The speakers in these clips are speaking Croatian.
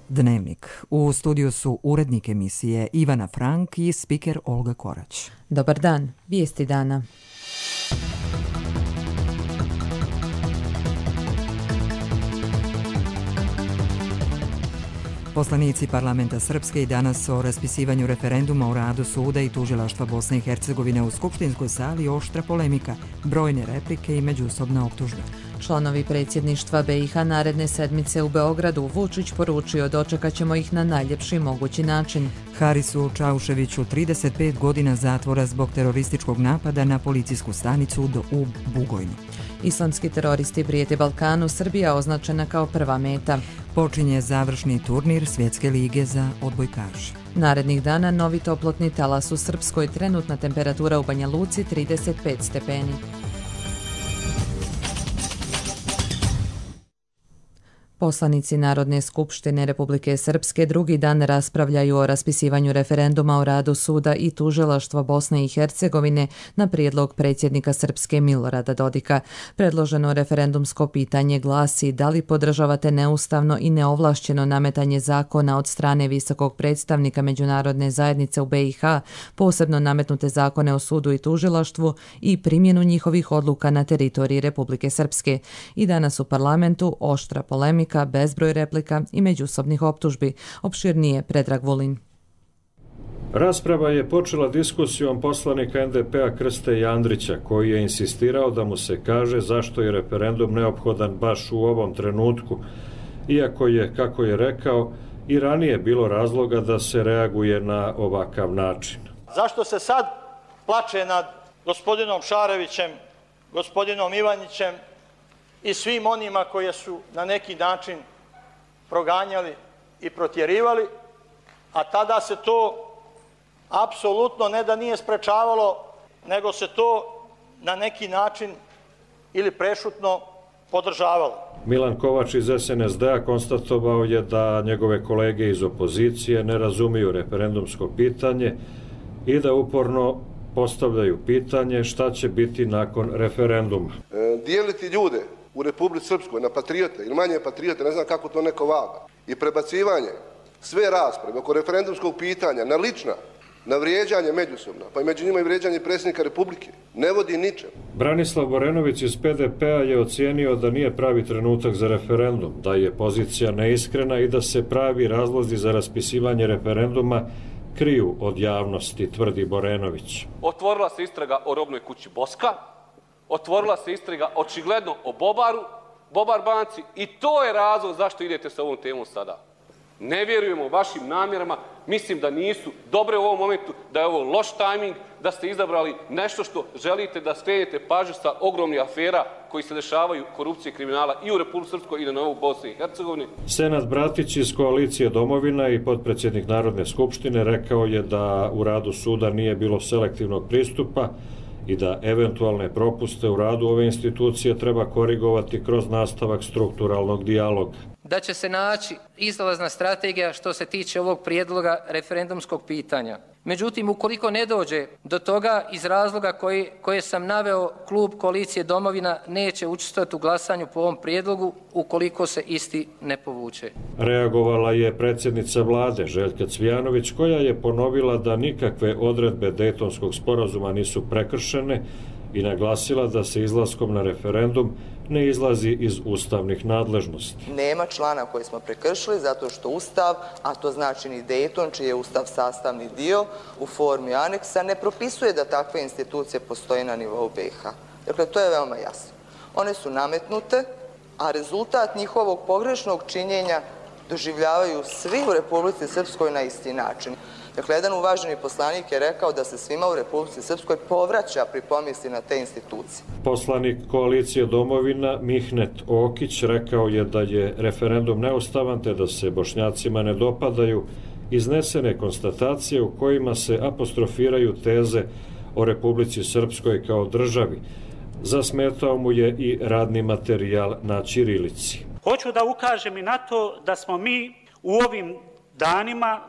Dnevnik. U studiju su urednik emisije Ivana Frank i spiker Olga Korać. Dobar dan, vijesti dana. Poslanici parlamenta Srpske i danas o raspisivanju referenduma o radu suda i tužilaštva Bosne i Hercegovine u skupštinskoj sali oštra polemika, brojne replike i međusobna optužba. Članovi predsjedništva BiH naredne sedmice u Beogradu Vučić poručio dočekat ćemo ih na najljepši mogući način. Harisu Čauševiću 35 godina zatvora zbog terorističkog napada na policijsku stanicu u Bugojnu. Islamski teroristi prijete Balkanu, Srbija označena kao prva meta. Počinje završni turnir Svjetske lige za odbojkaše. Narednih dana novi toplotni talas u Srpskoj, trenutna temperatura u Banja Luci 35 stepeni. Poslanici Narodne skupštine Republike Srpske drugi dan raspravljaju o raspisivanju referenduma o radu suda i tužilaštva Bosne i Hercegovine na prijedlog predsjednika Srpske Milorada Dodika. Predloženo referendumsko pitanje glasi da li podržavate neustavno i neovlašćeno nametanje zakona od strane visokog predstavnika međunarodne zajednice u BiH, posebno nametnute zakone o sudu i tužilaštvu i primjenu njihovih odluka na teritoriji Republike Srpske. I danas u parlamentu oštra polemika, bezbroj replika i međusobnih optužbi. Opširnije Predrag Vulin. Rasprava je počela diskusijom poslanika NDP-a Krste Jandrića, koji je insistirao da mu se kaže zašto je referendum neophodan baš u ovom trenutku, iako je, kako je rekao, i ranije bilo razloga da se reaguje na ovakav način. Zašto se sad plače nad gospodinom Šarevićem, gospodinom Ivanjićem i svim onima koje su na neki način proganjali i protjerivali, a tada se to apsolutno ne da nije sprečavalo, nego se to na neki način ili prešutno podržavalo. Milan Kovač iz SNSD-a konstatovao je da njegove kolege iz opozicije ne razumiju referendumsko pitanje i da uporno postavljaju pitanje šta će biti nakon referenduma. Dijeliti ljude u Republici Srpskoj na patriote ili manje patriote, ne znam kako to neko vaga, i prebacivanje sve rasprave oko referendumskog pitanja na lična, na vrijeđanje međusobno, pa i među njima i vrijeđanje predsjednika Republike, ne vodi ničem. Branislav Borenović iz PDP-a je ocijenio da nije pravi trenutak za referendum, da je pozicija neiskrena i da se pravi razlozi za raspisivanje referenduma kriju od javnosti, tvrdi Borenović. Otvorila se istraga o robnoj kući Boska, otvorila se istraga očigledno o Bobar banci i to je razlog zašto idete sa ovom temom sada. Ne vjerujemo vašim namjerama, mislim da nisu dobre u ovom momentu, da je ovo loš tajming, da ste izabrali nešto što želite da skrenete pažnju sa ogromnih afera koji se dešavaju, korupcije i kriminala i u Republici Srpskoj i na novu Bosni i Hercegovini. Senad Bratić iz koalicije Domovina i potpredsjednik Narodne skupštine rekao je da u radu suda nije bilo selektivnog pristupa i da eventualne propuste u radu ove institucije treba korigovati kroz nastavak strukturalnog dijaloga. Da će se naći izlazna strategija što se tiče ovog prijedloga referendumskog pitanja. Međutim, ukoliko ne dođe do toga iz razloga koje sam naveo, klub koalicije Domovina neće učestvovati u glasanju po ovom prijedlogu ukoliko se isti ne povuče. Reagovala je predsjednica vlade Željka Cvijanović, koja je ponovila da nikakve odredbe Dejtonskog sporazuma nisu prekršene i naglasila da se izlaskom na referendum ne izlazi iz ustavnih nadležnosti. Nema člana koji smo prekršili zato što Ustav, a to znači ni Dejton, čiji je Ustav sastavni dio u formi aneksa, ne propisuje da takve institucije postoje na nivou BiH. Dakle, to je veoma jasno. One su nametnute, a rezultat njihovog pogrešnog činjenja doživljavaju svi u Republici Srpskoj na isti način. Dakle, jedan uvaženi poslanik je rekao da se svima u Republici Srpskoj povraća pri pomisli na te institucije. Poslanik koalicije Domovina Mihnet Okić rekao je da je referendum neustavan te da se Bošnjacima ne dopadaju iznesene konstatacije u kojima se apostrofiraju teze o Republici Srpskoj kao državi. Zasmetao mu je i radni materijal na ćirilici. Hoću da ukažem i na to da smo mi u ovim danima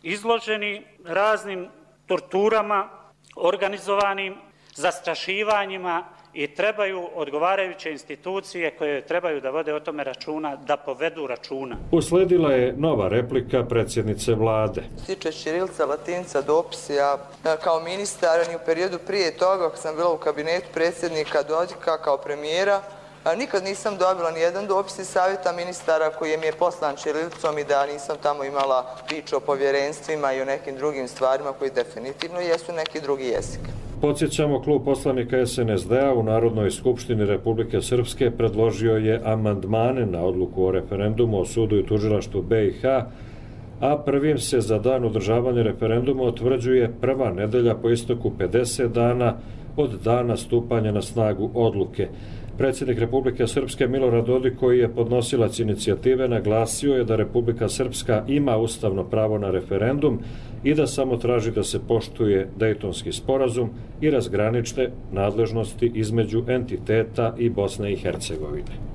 izloženi raznim torturama, organizovanim zastrašivanjima i trebaju odgovarajuće institucije koje trebaju da vode o tome računa, da povedu računa. Usledila je nova replika predsjednice vlade. Tiče ćirilica, latinica, dopisi, ja kao ministar i u periodu prije toga, ako sam bila u kabinetu predsjednika Dodika kao premijera, nikad nisam dobila ni jedan dopis iz savjeta ministara koji mi je poslan ćirilicom i da nisam tamo imala priču o povjerenstvima i o nekim drugim stvarima koji definitivno jesu neki drugi jezik. Podsjećamo, klub poslanika SNSD-a u Narodnoj skupštini Republike Srpske predložio je amandmane na odluku o referendumu o sudu i tužilaštvu BiH, a prvim se za dan održavanja referenduma utvrđuje prva nedelja po isteku 50 dana od dana stupanja na snagu odluke. Predsjednik Republike Srpske Milorad Dodik, koji je podnosilac inicijative, naglasio je da Republika Srpska ima ustavno pravo na referendum i da samo traži da se poštuje Dejtonski sporazum i razgranične nadležnosti između entiteta i Bosne i Hercegovine.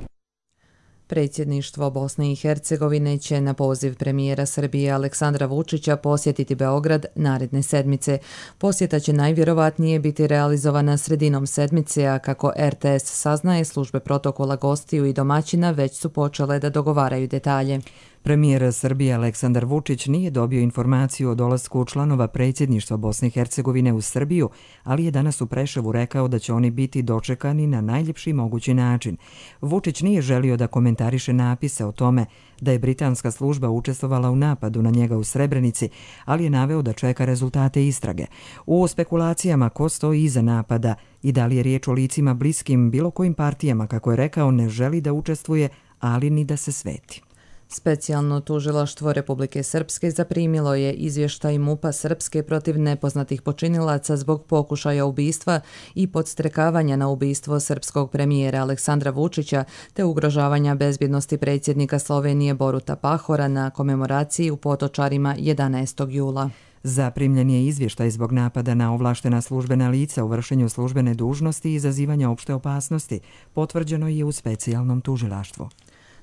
Predsjedništvo Bosne i Hercegovine će na poziv premijera Srbije Aleksandra Vučića posjetiti Beograd naredne sedmice. Posjeta će najvjerovatnije biti realizovana sredinom sedmice, a kako RTS saznaje, službe protokola gostiju i domaćina već su počele da dogovaraju detalje. Premijer Srbije Aleksandar Vučić nije dobio informaciju o dolasku članova predsjedništva Bosne i Hercegovine u Srbiju, ali je danas u Preševu rekao da će oni biti dočekani na najljepši mogući način. Vučić nije želio da komentariše napise o tome da je britanska služba učestvovala u napadu na njega u Srebrenici, ali je naveo da čeka rezultate istrage. U spekulacijama ko stoji iza napada i da li je riječ o licima bliskim bilo kojim partijama, kako je rekao, ne želi da učestvuje, ali ni da se sveti. Specijalno tužilaštvo Republike Srpske zaprimilo je izvještaj MUP-a Srpske protiv nepoznatih počinilaca zbog pokušaja ubistva i podstrekavanja na ubistvo srpskog premijera Aleksandra Vučića te ugrožavanja bezbjednosti predsjednika Slovenije Boruta Pahora na komemoraciji u Potočarima 11. jula. Zaprimljen je izvještaj zbog napada na ovlaštena službena lica u vršenju službene dužnosti i izazivanja opšte opasnosti, potvrđeno je u specijalnom tužilaštvu.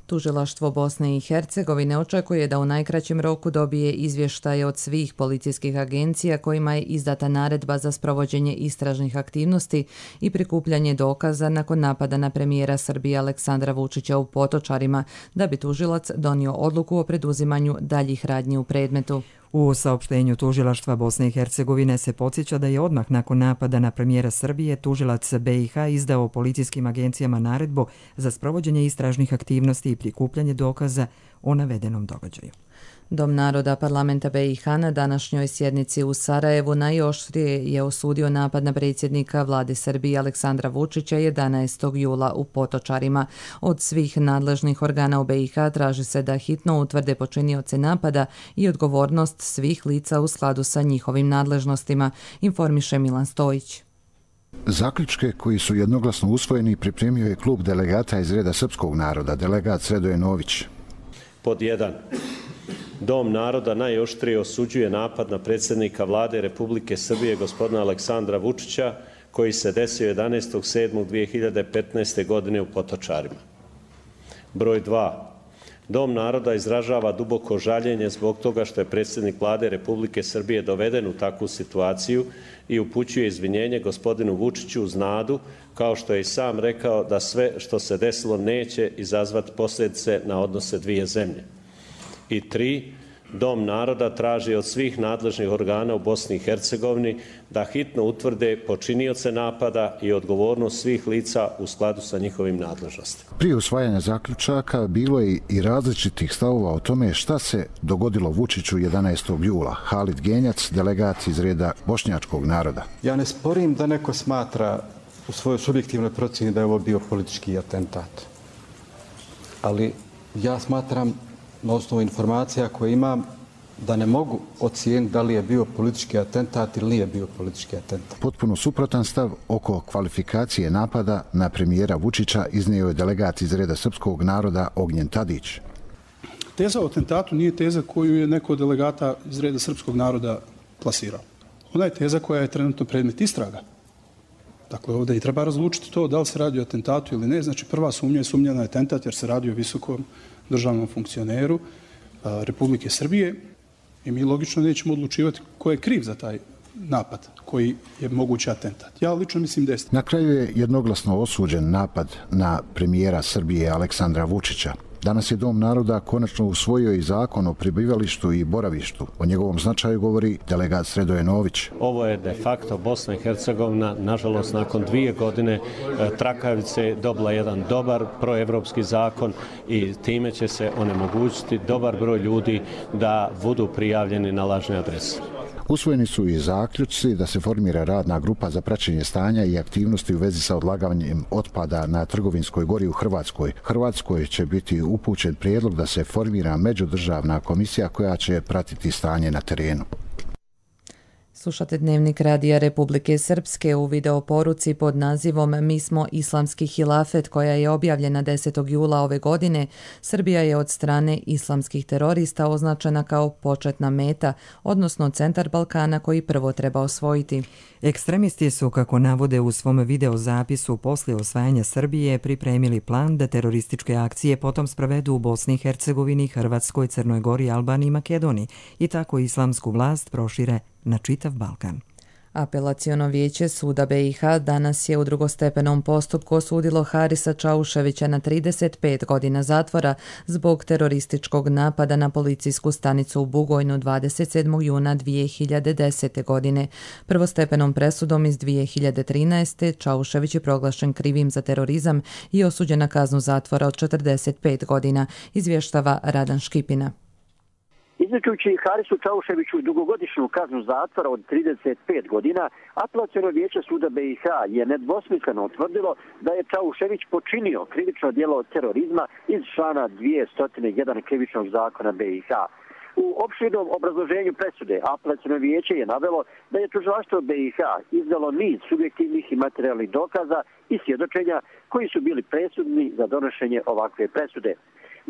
Tužilaštvo Bosne i Hercegovine očekuje da u najkraćem roku dobije izvještaje od svih policijskih agencija kojima je izdata naredba za sprovođenje istražnih aktivnosti i prikupljanje dokaza nakon napada na premijera Srbije Aleksandra Vučića u Potočarima, da bi tužilac donio odluku o preduzimanju daljih radnji u predmetu. U saopštenju tužilaštva Bosne i Hercegovine se podsjeća da je odmah nakon napada na premijera Srbije tužilac BiH izdao policijskim agencijama naredbu za sprovođenje istražnih aktivnosti i prikupljanje dokaza o navedenom događaju. Dom naroda parlamenta BiH na današnjoj sjednici u Sarajevu najoštrije je osudio napad na predsjednika vlade Srbije Aleksandra Vučića 11. jula u Potočarima. Od svih nadležnih organa u BiH traži se da hitno utvrde počinioce napada i odgovornost svih lica u skladu sa njihovim nadležnostima, informiše Milan Stojić. Zaključke koji su jednoglasno usvojeni pripremio je klub delegata iz reda srpskog naroda, delegat Sredoje Nović. Pod 1. Dom naroda najoštrije osuđuje napad na predsjednika vlade Republike Srbije gospodina Aleksandra Vučića koji se desio 11.7.2015. godine u Potočarima. Broj 2. Dom naroda izražava duboko žaljenje zbog toga što je predsjednik vlade Republike Srbije doveden u takvu situaciju i upućuje izvinjenje gospodinu Vučiću uz nadu, kao što je i sam rekao, da sve što se desilo neće izazvati posljedice na odnose dvije zemlje. I 3. Dom naroda traži od svih nadležnih organa u Bosni i Hercegovini da hitno utvrde počinioce napada i odgovornost svih lica u skladu sa njihovim nadležnostima. Prije usvajanja zaključaka bilo je i različitih stavova o tome šta se dogodilo Vučiću 11. jula. Halid Genjac, delegat iz reda bošnjačkog naroda. Ja ne sporim da neko smatra u svojoj subjektivnoj procjeni da je ovo bio politički atentat. Ali ja smatram na osnovu informacija koje imam da ne mogu ocijeniti da li je bio politički atentat ili nije bio politički atentat. Potpuno suprotan stav oko kvalifikacije napada na premijera Vučića iznio je delegat iz reda srpskog naroda Ognjen Tadić. Teza o atentatu nije teza koju je neko od delegata iz reda srpskog naroda plasirao. Ona je teza koja je trenutno predmet istraga. Dakle, ovdje i treba razlučiti to da li se radi o atentatu ili ne. Znači, prva sumnja je sumnja na atentat jer se radi o visokom državnom funkcioneru Republike Srbije i mi logično nećemo odlučivati ko je kriv za taj napad koji je mogući atentat. Ja lično mislim da je. Na kraju je jednoglasno osuđen napad na premijera Srbije Aleksandra Vučića. Danas je Dom naroda konačno usvojio i zakon o prebivalištu i boravištu. O njegovom značaju govori delegat Sredoje Nović. Ovo je de facto Bosna i Hercegovina, nažalost, nakon 2 godine trakavice dobila jedan dobar proevropski zakon i time će se onemogućiti dobar broj ljudi da budu prijavljeni na lažne adrese. Usvojeni su i zaključci da se formira radna grupa za praćenje stanja i aktivnosti u vezi sa odlaganjem otpada na Trgovinskoj gori u Hrvatskoj. Hrvatskoj će biti upućen prijedlog da se formira međudržavna komisija koja će pratiti stanje na terenu. Slušate Dnevnik Radija Republike Srpske u video poruci pod nazivom Mi smo islamski hilafet koja je objavljena 10. jula ove godine. Srbija je od strane islamskih terorista označena kao početna meta, odnosno centar Balkana koji prvo treba osvojiti. Ekstremisti su, kako navode u svom videozapisu poslije osvajanja Srbije, pripremili plan da terorističke akcije potom sprovedu u Bosni i Hercegovini, Hrvatskoj, Crnoj Gori, Albaniji i Makedoniji i tako islamsku vlast prošire na čitav Balkan. Apelaciono vijeće suda BiH danas je u drugostepenom postupku osudilo Harisa Čauševića na 35 godina zatvora zbog terorističkog napada na policijsku stanicu u Bugojnu 27. juna 2010. godine. Prvostepenom presudom iz 2013. Čaušević je proglašen krivim za terorizam i osuđen na kaznu zatvora od 45 godina, izvještava Radan Škipina. Izričujući Harisu Čauševiću dugogodišnju kaznu zatvora od 35 godina, apelaciono vijeće suda BiH je nedvosmisleno utvrdilo da je Čaušević počinio krivično djelo terorizma iz člana 201 krivičnog zakona BiH. U opširnom obrazloženju presude apelaciono vijeće je navelo da je tužilaštvo BiH izdalo niz subjektivnih i materijalnih dokaza i svjedočenja koji su bili presudni za donošenje ovakve presude.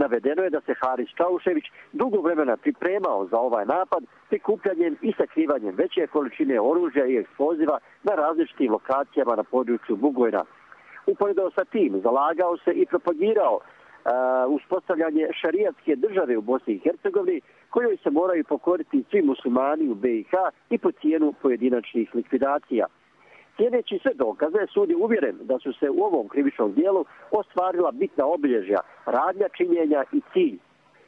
Navedeno je da se Haris Čaušević dugo vremena pripremao za ovaj napad prikupljanjem i sakrivanjem veće količine oružja i eksploziva na različitim lokacijama na području Bugojna. Uporedo sa tim zalagao se i propagirao uspostavljanje šarijatske države u Bosni i Hercegovini kojoj se moraju pokoriti svi muslimani u BiH i po cijenu pojedinačnih likvidacija. Slijedeći sve dokaze, sud je uvjeren da su se u ovom krivičnom dijelu ostvarila bitna obilježja, radnja činjenja i cilj.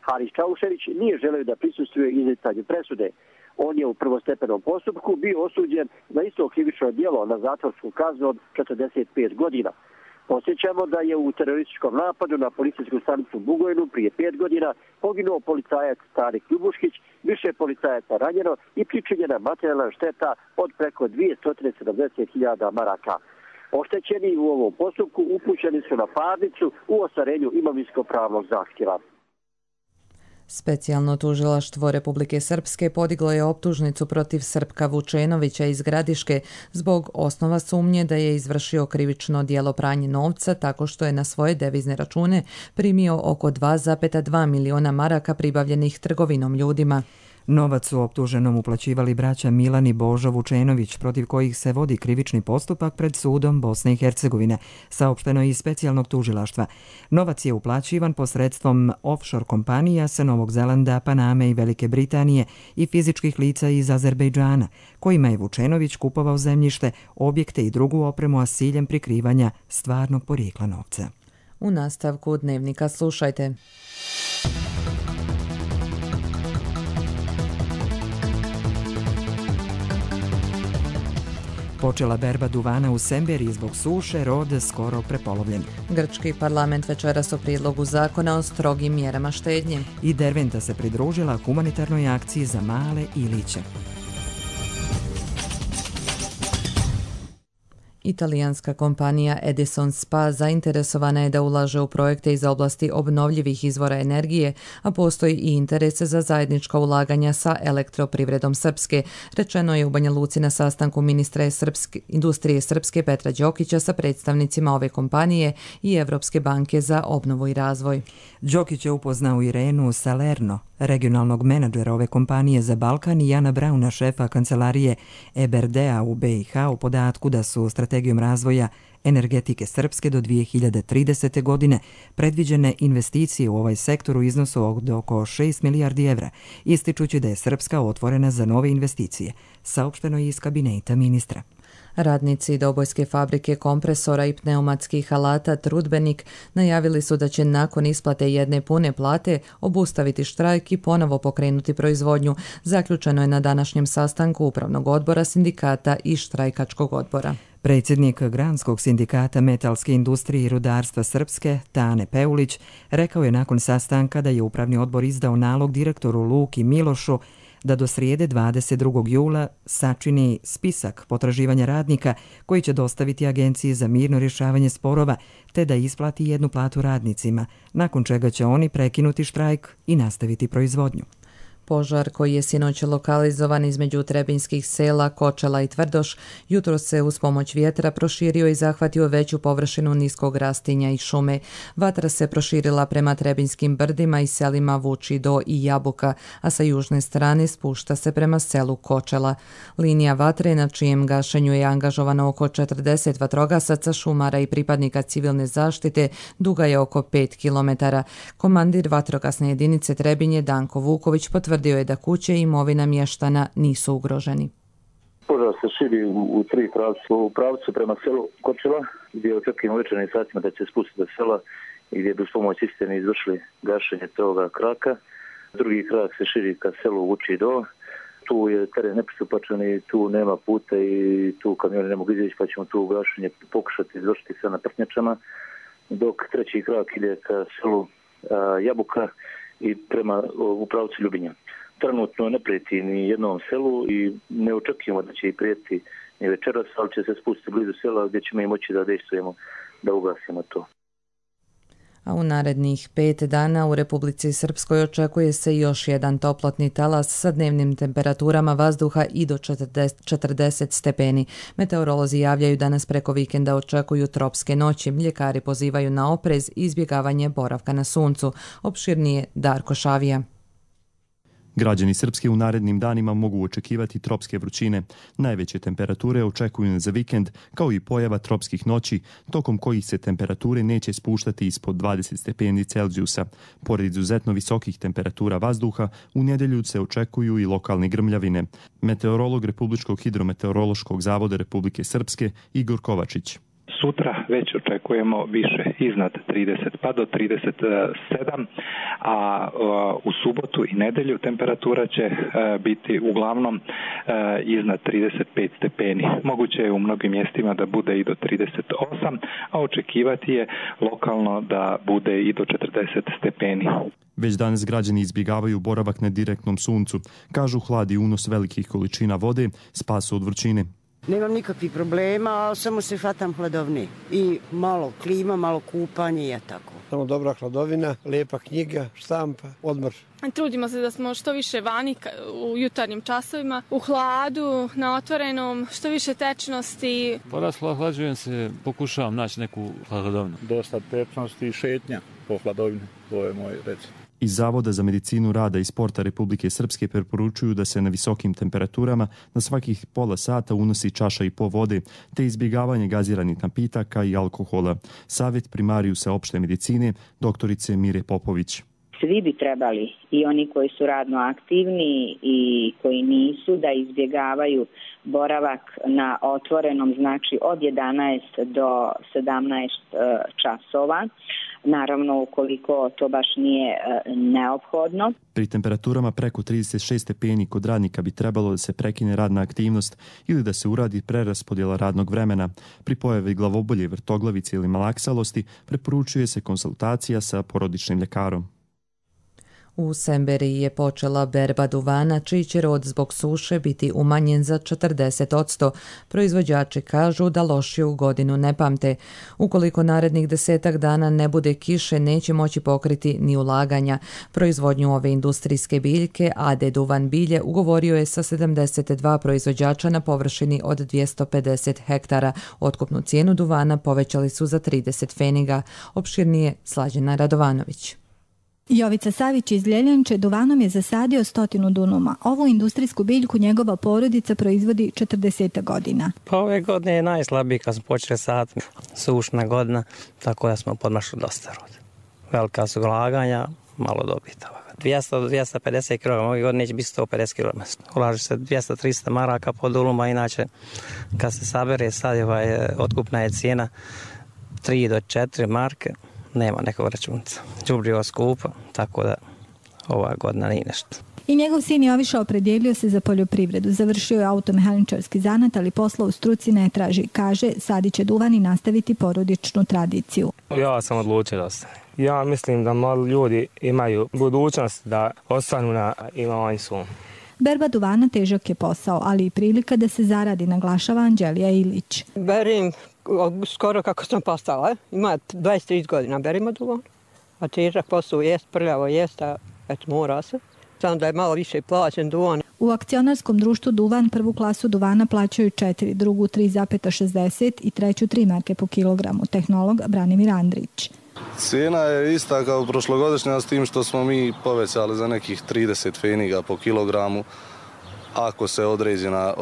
Haris Čaušević nije želeo da prisustvuje izricanju presude. On je u prvostepenom postupku bio osuđen za isto krivično djelo na zatvorsku kaznu od 45 godina. Posjećamo da je u terorističkom napadu na policijsku stanicu Bugojnu prije 5 godina poginuo policajac Tarik Ljubuškić, više policajaca ranjeno i pričinjena materijalna šteta od preko 270.000 maraka. Oštećeni u ovom postupku upućeni su na parnicu u ostvarenju imovinsko-pravnog zahtjeva. Specijalno tužilaštvo Republike Srpske podiglo je optužnicu protiv Srpka Vučenovića iz Gradiške zbog osnova sumnje da je izvršio krivično djelo pranje novca tako što je na svoje devizne račune primio oko 2,2 miliona maraka pribavljenih trgovinom ljudima. Novac su optuženom uplaćivali braća Milan i Božo Vučenović, protiv kojih se vodi krivični postupak pred sudom Bosne i Hercegovine, saopšteno iz specijalnog tužilaštva. Novac je uplaćivan posredstvom offshore kompanija sa Novog Zelanda, Paname i Velike Britanije i fizičkih lica iz Azerbejdžana, kojima je Vučenović kupovao zemljište, objekte i drugu opremu, a s ciljem prikrivanja stvarnog porijekla novca. U nastavku Dnevnika slušajte. Počela berba duvana u Semberiji zbog suše, rod skoro prepolovljen. Grčki parlament večeras o prijedlogu zakona o strogim mjerama štednje. I Derventa se pridružila humanitarnoj akciji za male Iliće. Italijanska kompanija Edison Spa zainteresovana je da ulaže u projekte iz oblasti obnovljivih izvora energije, a postoji i interese za zajednička ulaganja sa Elektroprivredom Srpske, rečeno je u Banja Luci na sastanku ministra industrije Srpske Petra Đokića sa predstavnicima ove kompanije i Evropske banke za obnovu i razvoj. Đokić je upoznao Irenu Salerno, regionalnog menadžera ove kompanije za Balkan, i Jana Brauna, šefa kancelarije EBRD-a u BiH, u podatku da su strategije strategijom razvoja energetike Srpske do 2030. godine predviđene investicije u ovaj sektor u iznosu od oko 6 milijardi evra, ističući da je Srpska otvorena za nove investicije, saopšteno je iz kabineta ministra. Radnici Dobojske fabrike kompresora i pneumatskih alata Trudbenik najavili su da će nakon isplate jedne pune plate obustaviti štrajk i ponovo pokrenuti proizvodnju. Zaključeno je na današnjem sastanku Upravnog odbora sindikata i štrajkačkog odbora. Predsjednik Granskog sindikata metalske industrije i rudarstva Srpske, Tane Peulić, rekao je nakon sastanka da je Upravni odbor izdao nalog direktoru Luki Milošu da do srijede 22. jula sačini spisak potraživanja radnika koji će dostaviti Agenciji za mirno rješavanje sporova te da isplati jednu platu radnicima, nakon čega će oni prekinuti štrajk i nastaviti proizvodnju. Požar koji je sinoć lokalizovan između trebinjskih sela Kočela i Tvrdoš, jutro se uz pomoć vjetra proširio i zahvatio veću površinu niskog rastinja i šume. Vatra se proširila prema Trebinjskim brdima i selima Vučido i Jabuka, a sa južne strane spušta se prema selu Kočela. Linija vatre, na čijem gašenju je angažovano oko 40 vatrogasaca, šumara i pripadnika civilne zaštite, duga je oko 5 km. Komandir vatrogasne jedinice Trebinje Danko Vuković potvrdio je da kuće i imovina mještana nisu ugroženi. Požar se širi u tri pravca. U pravcu prema selu Kočela, gdje očekujemo u večernjim satima da će spustiti do sela i gdje bi uz pomoć istine izvršili gašenje toga kraka. Drugi krak se širi ka selu Vučido. Tu je teren nepristupačan i tu nema puta i tu kamioni ne mogu izaći, pa ćemo tu gašenje pokušati izvršiti sa naprtnjačama. Dok treći krak ide ka selu Jabuka i prema u pravcu Ljubinja. Trenutno ne prijeti ni jednom selu i ne očekujemo da će i prijeti ni večeras, ali će se spustiti blizu sela gdje ćemo i moći da dejstvujemo, da ugasimo to. A u narednih 5 dana u Republici Srpskoj očekuje se još jedan toplotni talas sa dnevnim temperaturama vazduha i do 40 stepeni. Meteorolozi javljaju da nas preko vikenda očekuju tropske noći. Ljekari pozivaju na oprez i izbjegavanje boravka na suncu. Opširnije Darko Šavija. Građani Srpske u narednim danima mogu očekivati tropske vrućine. Najveće temperature očekuju za vikend, kao i pojava tropskih noći, tokom kojih se temperature neće spuštati ispod 20 stepeni Celzijusa. Pored izuzetno visokih temperatura vazduha, u nedjelju se očekuju i lokalne grmljavine. Meteorolog Republičkog hidrometeorološkog zavoda Republike Srpske Igor Kovačić. Sutra već očekujemo više iznad 30 pa do 37, a u subotu i nedelju temperatura će biti uglavnom iznad 35 stepeni. Moguće je u mnogim mjestima da bude i do 38, a očekivati je lokalno da bude i do 40 stepeni. Već danas građani izbjegavaju boravak na direktnom suncu. Kažu, hlad i unos velikih količina vode spasu od vrućine. Nemam nikakvih problema, samo se hvatam hladovni. I malo klima, malo kupanje i tako. Samo dobra hladovina, lijepa knjiga, štampa, odmor. Trudimo se da smo što više vani u jutarnjim časovima, u hladu, na otvorenom, što više tečnosti. Hlađujem se, pokušavam naći neku hladovinu. Dosta tečnosti i šetnja po hladovini, to je moj recept. Iz Zavoda za medicinu rada i sporta Republike Srpske preporučuju da se na visokim temperaturama na svakih pola sata unosi čaša i po vode, te izbjegavanje gaziranih napitaka i alkohola. Savjet primarijusa opšte medicine, doktorice Mire Popović. Svi bi trebali, i oni koji su radno aktivni i koji nisu, da izbjegavaju boravak na otvorenom, znači od 11 do 17 časova. Naravno, ukoliko to baš nije neophodno. Pri temperaturama preko 36 stepeni kod radnika bi trebalo da se prekine radna aktivnost ili da se uradi preraspodjela radnog vremena. Pri pojavi glavobolje, vrtoglavice ili malaksalosti preporučuje se konsultacija sa porodičnim ljekarom. U Semberiji je počela berba duvana, čiji će rod zbog suše biti umanjen za 40%. Proizvođači kažu da lošiju godinu ne pamte. Ukoliko narednih 10 dana ne bude kiše, neće moći pokriti ni ulaganja. Proizvodnju ove industrijske biljke AD Duvan bilje ugovorio je sa 72 proizvođača na površini od 250 hektara. Otkupnu cijenu duvana povećali su za 30 pfeniga. Opširnije Slađena Radovanović. Jovica Savić iz Ljeljanče duvanom je zasadio 100 dunuma. Ovu industrijsku biljku njegova porodica proizvodi 40 godina. Pa ove godine je najslabiji kad smo počeli saditi. Sušna godina, tako da smo podmašli dosta roda. Velika su ulaganja, malo dobita. 250 kg, ove godine neće biti 150 kg. Ulaže se 200-300 maraka po duluma, inače kad se sabere sad otkupna je cijena 3 do 4 marke. Nema nekog računca. Đubrivo skupa, tako da ova godina nije nešto. I njegov sin Joviša opredijelio se za poljoprivredu. Završio je automehaničarski zanat, ali posla u struci ne traži. Kaže, sadit će duvan i nastaviti porodičnu tradiciju. Ja sam odlučio da ostanem. Ja mislim da mali ljudi imaju budućnost da ostanu na imovanju svom. Berba duvana težak je posao, ali i prilika da se zaradi, naglašava Anđelija Ilić. Berim skoro kako sam postala. Ima 23 godina berimo duvan, a težak posao jest, prljavo jest, a eto mora se. Samo da je malo više plaćen duvan. U akcionarskom društvu Duvan prvu klasu duvana plaćaju 4, drugu 3,60 i treću 3 marke po kilogramu. Tehnolog Branimir Andrić. Cijena je ista kao prošlogodišnja, s tim što smo mi povećali za nekih 30 pfeniga po kilogramu ako se određena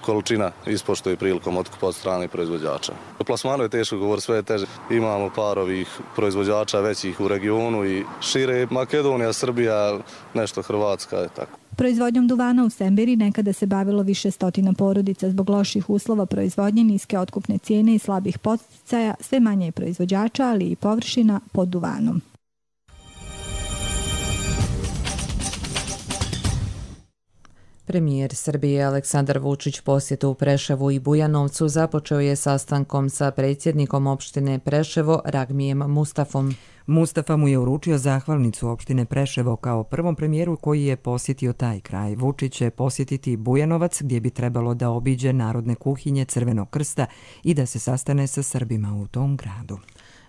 količina ispoštuje prilikom otkupa od strane proizvođača. O plasmanu je teško govoriti, sve je teže. Imamo par ovih proizvođača većih u regionu i šire, Makedonija, Srbija, nešto Hrvatska je tako. Proizvodnjom duvana u Sembiri nekada se bavilo više stotina porodica. Zbog loših uslova proizvodnje, niske otkupne cijene i slabih podsticaja, sve manje je proizvođača, ali i površina pod duvanom. Premijer Srbije Aleksandar Vučić posjetu u Preševu i Bujanovcu započeo je sastankom sa predsjednikom opštine Preševo Ragmijem Mustafom. Mustafa mu je uručio zahvalnicu opštine Preševo kao prvom premijeru koji je posjetio taj kraj. Vučić će posjetiti Bujanovac gdje bi trebalo da obiđe narodne kuhinje Crvenog krsta i da se sastane sa Srbima u tom gradu.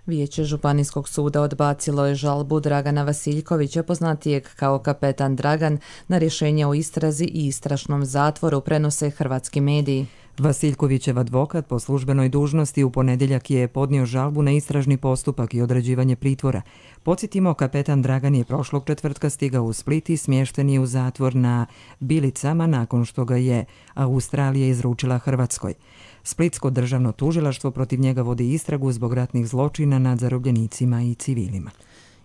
Vijeće Županijskog suda odbacilo je žalbu Dragana Vasiljkovića, poznatijeg kao kapetan Dragan, na rješenje o istrazi i istražnom zatvoru, prenose hrvatski mediji. Vasiljkovićev advokat po službenoj dužnosti u ponedjeljak je podnio žalbu na istražni postupak i određivanje pritvora. Podsjetimo, kapetan Dragan je prošlog četvrtka stigao u Split i smješten je u zatvor na Bilicama nakon što ga je Australija izručila Hrvatskoj. Splitsko državno tužilaštvo protiv njega vodi istragu zbog ratnih zločina nad zarobljenicima i civilima.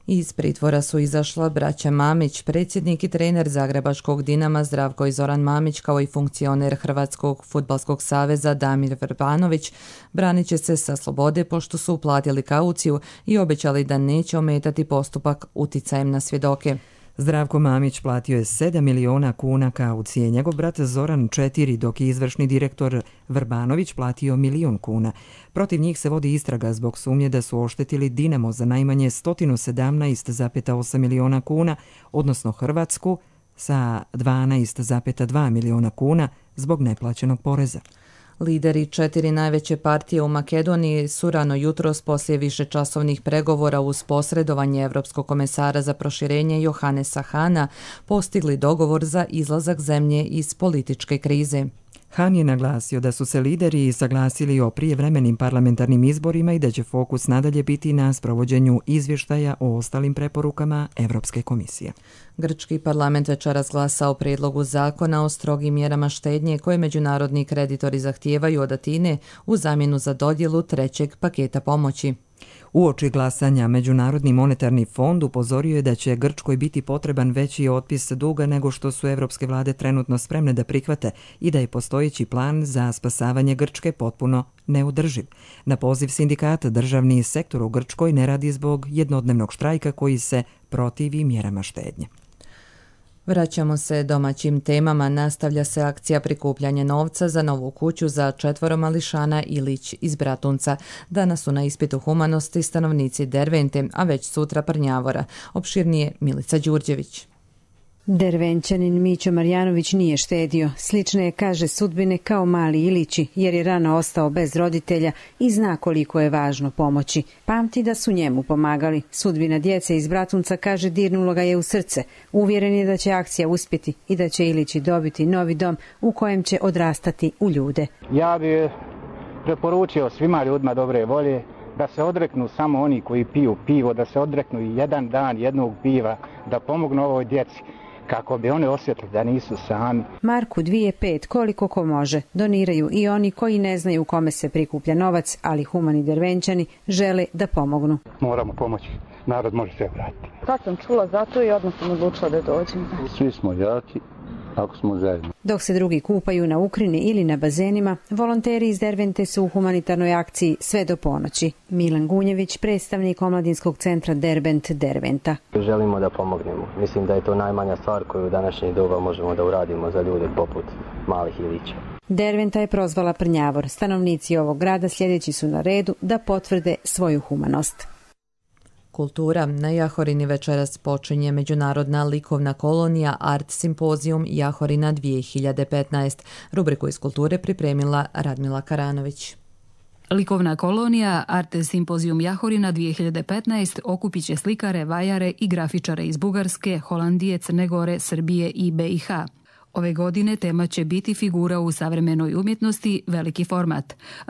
Iz pritvora su izašla braća Mamić, predsjednik i trener Zagrebačkog Dinama Zdravko i Zoran Mamić, kao i funkcioner Hrvatskog fudbalskog saveza Damir Vrbanović. Branit će se sa slobode pošto su uplatili kauciju i obećali da neće ometati postupak uticajem na svjedoke. Zdravko Mamić platio je 7 miliona kuna kaucije, njegov brat Zoran 4, dok je izvršni direktor Vrbanović platio 1 milion kuna. Protiv njih se vodi istraga zbog sumnje da su oštetili Dinamo za najmanje 117,8 miliona kuna, odnosno Hrvatsku sa 12,2 miliona kuna zbog neplaćenog poreza. Lideri 4 najveće partije u Makedoniji su rano jutros poslije višečasovnih pregovora uz posredovanje Evropskog komesara za proširenje Johannesa Hana postigli dogovor za izlazak zemlje iz političke krize. Han je naglasio da su se lideri saglasili o prijevremenim parlamentarnim izborima i da će fokus nadalje biti na sprovođenju izvještaja o ostalim preporukama Evropske komisije. Grčki parlament večeras glasa o prijedlogu zakona o strogim mjerama štednje koje međunarodni kreditori zahtijevaju od Atine u zamjenu za dodjelu trećeg paketa pomoći. Uoči glasanja, Međunarodni monetarni fond upozorio je da će Grčkoj biti potreban veći otpis duga nego što su evropske vlade trenutno spremne da prihvate i da je postojeći plan za spasavanje Grčke potpuno neodrživ. Na poziv sindikata državni sektor u Grčkoj ne radi zbog jednodnevnog štrajka koji se protivi mjerama štednje. Vraćamo se domaćim temama. Nastavlja se akcija prikupljanja novca za novu kuću za 4 mališana Ilić iz Bratunca. Danas su na ispitu humanosti stanovnici Dervente, a već sutra Prnjavora. Opširnije Milica Đurđević. Dervenčanin Mićo Marjanović nije štedio. Slične je, kaže, sudbine kao mali Ilići, jer je rano ostao bez roditelja i zna koliko je važno pomoći. Pamti da su njemu pomagali. Sudbina djece iz Bratunca, kaže, dirnulo ga je u srce. Uvjeren je da će akcija uspjeti i da će Ilići dobiti novi dom u kojem će odrastati u ljude. Ja bih preporučio svima ljudima dobre volje da se odreknu samo oni koji piju pivo, da se odreknu i jedan dan jednog piva, da pomognu ovoj djeci kako bi oni osjetili da nisu sami. Marku 2,5 koliko ko može. Doniraju i oni koji ne znaju kome se prikuplja novac, ali humani Dervenčani žele da pomognu. Moramo pomoći. Narod može sve vratiti. Kad sam čula za to i odmah sam odlučila da dođem. Svi smo jaki ako smo zajedno. Dok se drugi kupaju na Ukrini ili na bazenima, volonteri iz Dervente su u humanitarnoj akciji sve do ponoći. Milan Gunjević, predstavnik omladinskog centra Derbent Derventa. Želimo da pomognemo. Mislim da je to najmanja stvar koju u današnje doba možemo da uradimo za ljude poput malih Ilića. Derventa je prozvala Prnjavor. Stanovnici ovog grada sljedeći su na redu da potvrde svoju humanost. Kultura. Na Jahorini večeras počinje Međunarodna likovna kolonija Art Simpozijum Jahorina 2015. Rubriku iz kulture pripremila Radmila Karanović. Likovna kolonija Art Simpozijum Jahorina 2015 okupit će slikare, vajare i grafičare iz Bugarske, Holandije, Crne Gore, Srbije i BiH. Ove godine tema će biti figura u savremenoj umjetnosti, veliki format,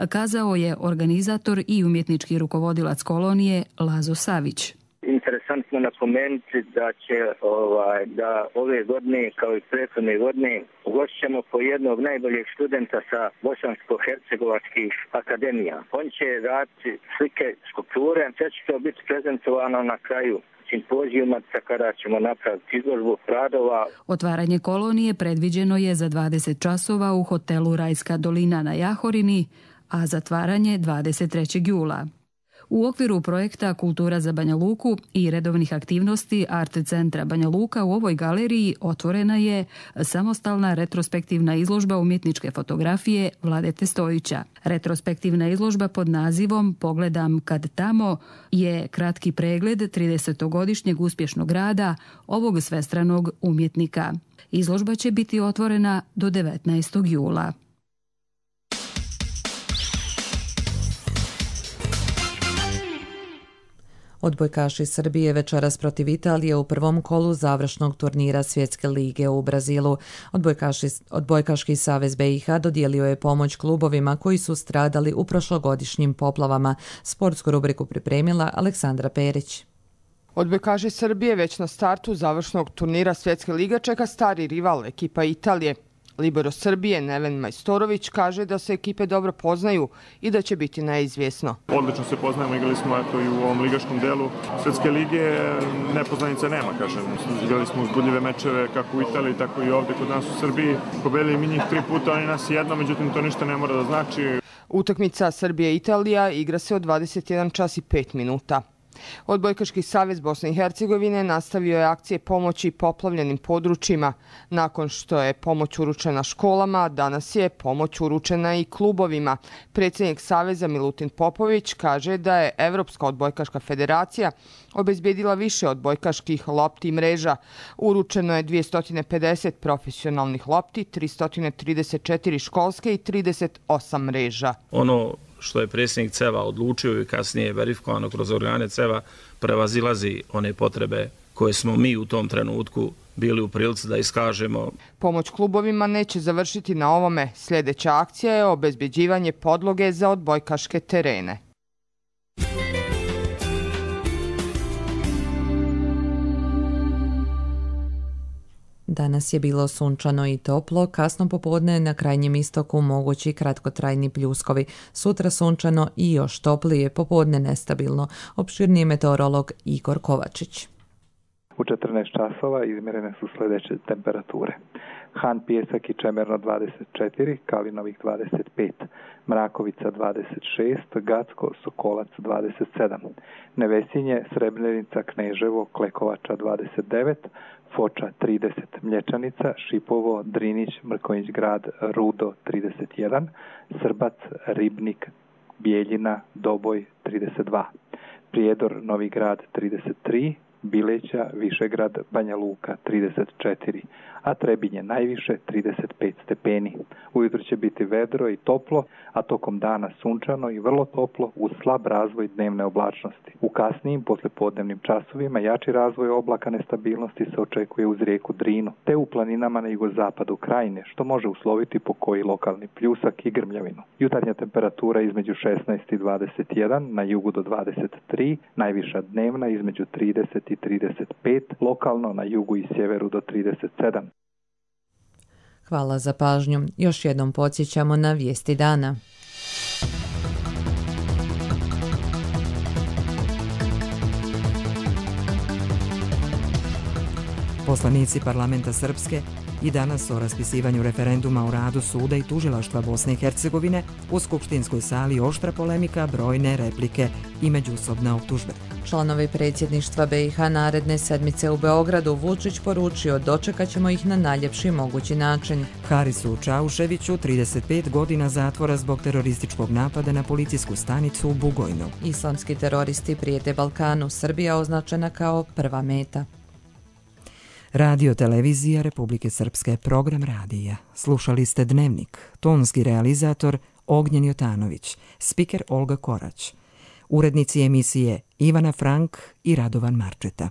kazao je organizator i umjetnički rukovodilac kolonije Lazo Savić. Interesantno napomenuti da će da ove godine kao i prethodne godine ugošćemo po jednog najboljeg studenta sa bosansko-hercegovačkih akademija. On će raditi slike, skulpture, sve će to biti prezentovano na kraju simpozijuma kada ćemo napraviti izložbu radova. Otvaranje kolonije predviđeno je za 20 časova u hotelu Rajska dolina na Jahorini, a zatvaranje 23. jula. U okviru projekta Kultura za Banja Luku i redovnih aktivnosti Art centra Banja Luka u ovoj galeriji otvorena je samostalna retrospektivna izložba umjetničke fotografije Vladete Stojića. Retrospektivna izložba pod nazivom Pogledam kad tamo je kratki pregled 30-godišnjeg uspješnog rada ovog svestranog umjetnika. Izložba će biti otvorena do 19. jula. Odbojkaši Srbije večeras protiv Italije u prvom kolu završnog turnira Svjetske lige u Brazilu. Odbojkaški savez BiH dodijelio je pomoć klubovima koji su stradali u prošlogodišnjim poplavama. Sportsku rubriku pripremila Aleksandra Perić. Odbojkaši Srbije već na startu završnog turnira Svjetske lige čeka stari rival, ekipa Italije. Libero Srbije Neven Majstorović kaže da se ekipe dobro poznaju i da će biti neizvjesno. Odlično se poznajemo, igrali smo i u ovom ligaškom delu Svjetske lige, nepoznanica nema, kažem. Igrali smo uzbudljive mečeve kako u Italiji, tako i ovdje kod nas u Srbiji. Pobedili mi njih 3 puta, oni nas jedno, međutim to ništa ne mora da znači. Utakmica Srbije-Italija igra se od 21 čas i 5 minuta. Odbojkaški savez Bosne i Hercegovine nastavio je akcije pomoći poplavljenim područjima. Nakon što je pomoć uručena školama, danas je pomoć uručena i klubovima. Predsjednik saveza Milutin Popović kaže da je Evropska odbojkaška federacija obezbjedila više odbojkaških lopti i mreža. Uručeno je 250 profesionalnih lopti, 334 školske i 38 mreža. Ono što je predsjednik CEVA odlučio i kasnije verifikovano kroz organe CEVA prevazilazi one potrebe koje smo mi u tom trenutku bili u prilici da iskažemo. Pomoć klubovima neće završiti na ovome. Sljedeća akcija je obezbjeđivanje podloge za odbojkaške terene. Danas je bilo sunčano i toplo, kasno popodne na krajnjem istoku mogući kratkotrajni pljuskovi. Sutra sunčano i još toplije, popodne nestabilno. Opširniji meteorolog Igor Kovačić. U 14 časova izmjerene su sljedeće temperature. Han Pijesak i Čemerno 24, Kalinovih 25, Mrakovica 26, Gacko, Sokolac 27, Nevesinje, Srebrenica, Kneževo, Klekovača 29, Foča 30, Mlječanica, Šipovo, Drinić, Mrkonjić grad, Rudo 31, Srbac, Ribnik, Bijeljina, Doboj 32, Prijedor, Novi grad 33, Bileća, Višegrad, Banja Luka 34, a Trebinje najviše 35 stepeni. Ujutro će biti vedro i toplo, a tokom dana sunčano i vrlo toplo uz slab razvoj dnevne oblačnosti. U kasnijim poslijepodnevnim časovima jači razvoj oblaka nestabilnosti se očekuje uz rijeku Drinu, te u planinama na jugozapadu Krajine, što može usloviti po koji lokalni pljusak i grmljavinu. Jutarnja temperatura između 16 i 21, na jugu do 23, najviša dnevna između 30 i 35, lokalno na jugu i sjeveru do 37. Hvala za pažnju. Još jednom podsjećamo na vijesti dana. Poslanici parlamenta Srpske i danas o raspisivanju referenduma o radu suda i tužilaštva Bosne i Hercegovine u skupštinskoj sali oštra polemika, brojne replike i međusobne optužbe. Članovi predsjedništva BiH naredne sedmice u Beogradu Vučić poručio dočekat ćemo ih na najljepši mogući način. Harisu Čauševiću 35 godina zatvora zbog terorističkog napada na policijsku stanicu u Bugojnu. Islamski teroristi prijete Balkanu, Srbija označena kao prva meta. Radio televizija Republike Srpske, program radija. Slušali ste Dnevnik, tonski realizator Ognjen Jotanović, spiker Olga Korać, urednici emisije Ivana Frank i Radovan Marčeta.